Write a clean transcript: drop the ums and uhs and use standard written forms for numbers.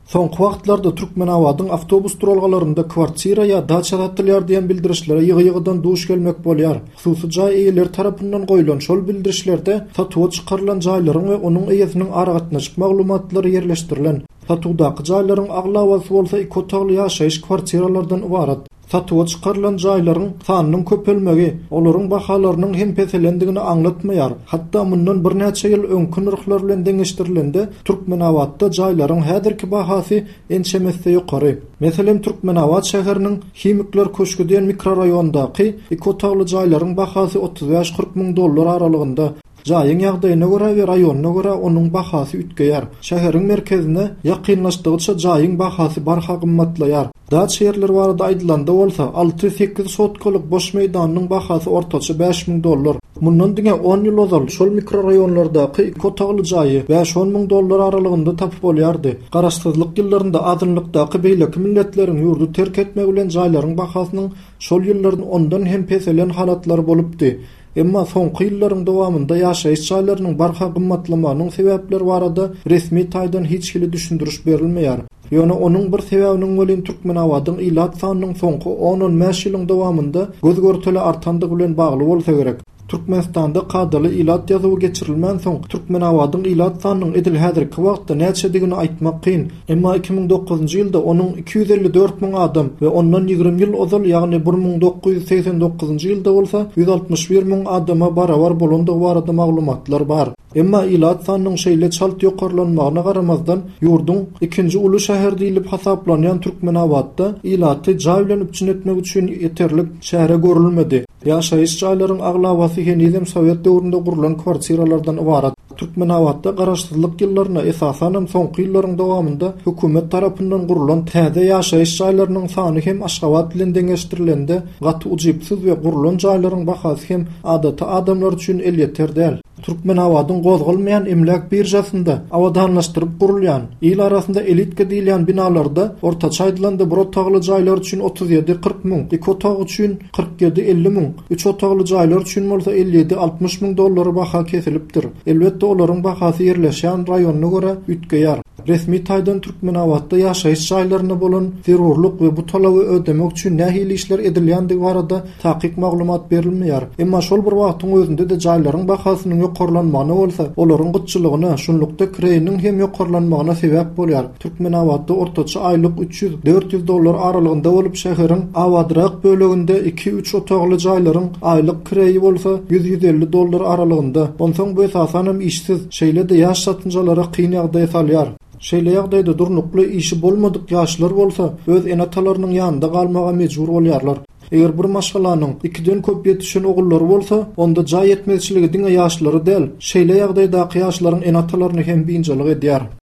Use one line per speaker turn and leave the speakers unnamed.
Soňky wagtlarda Türkmenabadyň awtobus duralgalarynda kwartira ýa daça satylýar diýen bildirişlere ýygy-ýygydan duş gelmek bolýar. Hususy jaý eýeleri tarapyndan goýlan şol bildirişlerde satuwa çykarylan jaýlaryň we onuň eýesiniň aragatnaşyk maglumatlary ýerleşdirilen. Satuwdaky jaýlaryň aglabasy bolsa iki otagly ýaşaýyş kwartiralardan ybarat. Satuwa çykarylan jaýlaryň sanynyň köpelmegi, olaryň bahalarynyň hem peselendigini aňlatmaýar. Hatda mundan birnäçe ýyl öňki nyrhlar bilen deňeşdirilende, Türkmenabatda jaýlaryň häzirki bahasy ençeme esse ýokary. Meselem, Türkmenabat şäheriniň Himikler köşgi diýen mikroraýondaky iki otagly jaýlaryň bahasy 35-40 müň dollar aralygynda. Jaýyň ýagdaýyna görä we raýonyna görä onuň bahasy üýtgeýär. Şäheriň merkezine ýakynlaşdygyça jaýyň bahasy barha gymmatlaýar. Daça ýerler barada aýdylanda bolsa, alty-sekiz sotkalyk boş meýdanynyň bahasy ortaça 5000 dollar. Mundan diňe on ýyl ozal şol mikroraýonlardaky iki otagly jaýy bäş-on müň dollar aralygynda tapyp bolýardy. Garaşsyzlyk ýyllarynda azynlykdaky beýleki milletleriň ýurdy terk etmegi bilen jaýlaryň bahasynyň şol ýyllarda ondan hem peselen halatlary bolupdy. Emma soňky ýyllaryň dowamynda ýaşaýyş jaýlarynyň barha gymmatlamagynyň sebäpleri barada resmi taýdan hiç hili düşündiriş berilmeýär. Ýöne onuň bir sebäbiniň welin Türkmenabadyň ilat sanynyň soňky on-on bäş ýylyň dowamynda göz-görtele artandygy bilen bagly bolsa gerek. Türkmenistanda kadaly ilat ýazuwy geçirilmänsoň, Türkmenabadyň ilat sanynyň edil häzirki wagtda näçedigini aýtmak kyn. Emma 2009-njy ýylda onuň 254 müň adam we ondan 20 ýyl ozal, ýagny 1989-njy ýylda bolsa 161 müň adama barabar bolandygy barada maglumatlar bar. Emma ilat sanynyň şeýle çalt ýokarlanmagyna garamazdan, ýurduň ikinji uly şäheri diýlip hasaplanýan Türkmenabatda ilaty jaý bilen üpjün etmek üçin ýeterlik çäre görülmedi. Ýaşaýyş jaýlaryň aglabasy henizem sowet döwründe gurlan kwartiralardan ybarat. Türkmenabatda garaşsyzlyk ýyllarynda, esasanam soňky ýyllaryň dowamynda hökümet tarapyndan gurlan täze ýaşaýyş jaýlarynyň sany hem Aşgabat bilen deňeşdirilende gaty ujypsyz we gurlan jaýlaryň bahasy hem adaty adamlar üçin elýeter däl. Türkmenabadyň gozgalmaýan emläk biržasynda abadanlaşdyryp gurulýan, il arasynda elitka diýilýän binalarda ortaça aýdylanda bir otagly jaýlar üçin 37-40 müň, iki otag üçin 47-50 müň, üç otagly jaýlar üçin bolsa 57-60 müň dollara baha kesilipdir. Elbetde, olaryň bahasy ýerleşýän raýonyna görä üýtgeýär. Resmi taýdan Türkmenabatda ýaşaýyş jaýlaryna bolan zerurlyk we bu talaby ödemek üçin nähili işler edilýändigi barada takyk maglumat berilmeýär. Emma şol bir wagtyň özünde-de jaýlaryň bahasynyň ýokarlanmagyna bolsa, olaryň gytçylygyna, şunlukda kireýiniň hem ýokarlanmagyna sebäp bolýar. Türkmenabatda ortaça aýlyk 300, 400 dollar aralygynda bolup, şäheriň abadyrak böleginde iki-üç otagly jaýlaryň aýlyk kireýi bolsa 100-150 dollar aralygynda. Onsoň bu esasanam işsiz, şeýle-de ýaş çatynjalara kyn ýagdaýa salýar. Şeýle ýagdaýda durnukly işi bolmadyk ýaşlar bolsa öz ene-atalarynyň ýanynda galmaga mejbur bolýarlar. Eger bir maşgalanyň ikiden köp ýetişen ogullary bolsa, onda jaý ýetmezçiligi diňe ýaşlary däl, şeýle ýagdaýdaky ýaşlaryň ene-atalaryny hem biynjalyk edýär.